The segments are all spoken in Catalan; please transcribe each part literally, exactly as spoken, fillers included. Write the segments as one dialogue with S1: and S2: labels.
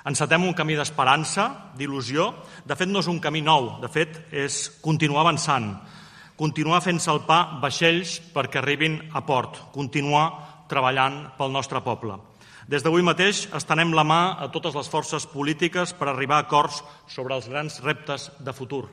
S1: Encetem un camí d'esperança, d'il·lusió. De fet, no és un camí nou, de fet, és continuar avançant, continuar fent salpar vaixells perquè arribin a port, continuar treballant pel nostre poble. Des d'avui mateix estenem la mà a totes les forces polítiques per arribar a acords sobre els grans reptes de futur.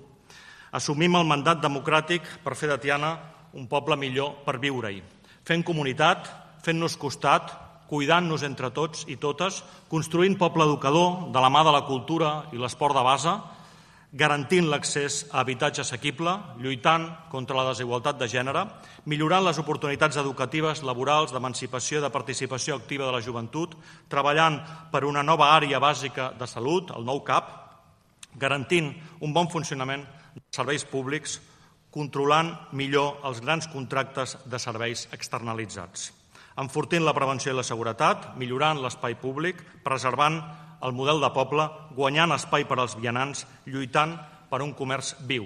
S1: Assumim el mandat democràtic per fer de Tiana un poble millor per viure-hi, fent comunitat, fent-nos costat, cuidant-nos entre tots i totes, construint poble educador de la mà de la cultura i l'esport de base, garantint l'accés a habitatge assequible, lluitant contra la desigualtat de gènere, millorant les oportunitats educatives, laborals, d'emancipació i de participació activa de la joventut, treballant per una nova àrea bàsica de salut, el nou C A P, garantint un bon funcionament dels serveis públics, controlant millor els grans contractes de serveis externalitzats, enfortint la prevenció i la seguretat, millorant l'espai públic, preservant el model de poble, guanyant espai per als vianants, lluitant per un comerç viu.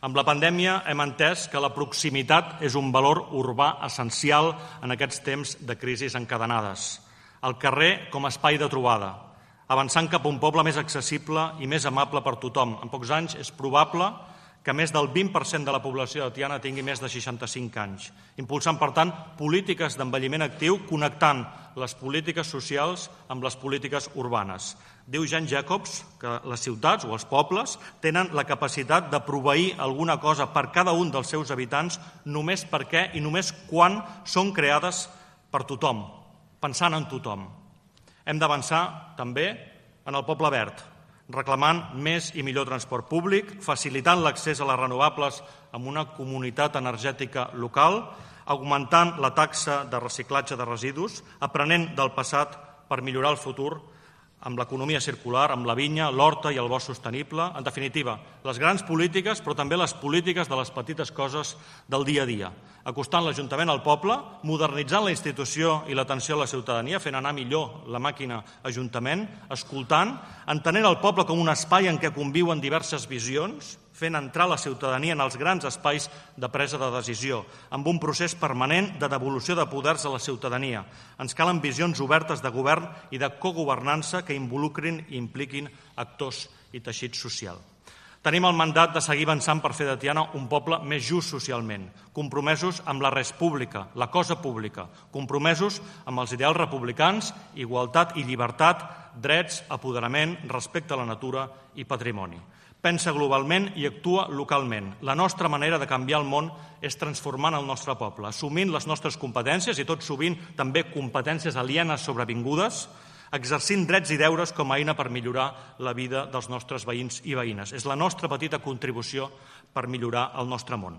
S1: Amb la pandèmia hem entès que la proximitat és un valor urbà essencial en aquests temps de crisis encadenades. El carrer com a espai de trobada, avançant cap a un poble més accessible i més amable per tothom. En pocs anys és probable que més del vint per cent de la població de Tiana tingui més de seixanta-cinc anys, impulsant, per tant, polítiques d'envelliment actiu, connectant les polítiques socials amb les polítiques urbanes. Diu Jean Jacobs que les ciutats o els pobles tenen la capacitat de proveir alguna cosa per cada un dels seus habitants només perquè i només quan són creades per tothom, pensant en tothom. Hem d'avançar també en el poble verd, reclamant més i millor transport públic, facilitant l'accés a les renovables amb una comunitat energètica local, augmentant la taxa de reciclatge de residus, aprenent del passat per millorar el futur amb l'economia circular, amb la vinya, l'horta i el bosc sostenible. En definitiva, les grans polítiques, però també les polítiques de les petites coses del dia a dia, acostant l'Ajuntament al poble, modernitzant la institució i l'atenció a la ciutadania, fent anar millor la màquina Ajuntament, escoltant, entenent el poble com un espai en què conviuen diverses visions, fent entrar la ciutadania en els grans espais de presa de decisió, amb un procés permanent de devolució de poders a la ciutadania. Ens calen visions obertes de govern i de cogovernança que involucrin i impliquin actors i teixit social. Tenim el mandat de seguir avançant per fer de Tiana un poble més just socialment, compromesos amb la res pública, la cosa pública, compromesos amb els ideals republicans, igualtat i llibertat, drets, apoderament, respecte a la natura i patrimoni. Pensa globalment i actua localment. La nostra manera de canviar el món és transformant el nostre poble, assumint les nostres competències i tot sovint també competències alienes sobrevingudes, exercint drets i deures com a eina per millorar la vida dels nostres veïns i veïnes. És la nostra petita contribució per millorar el nostre món.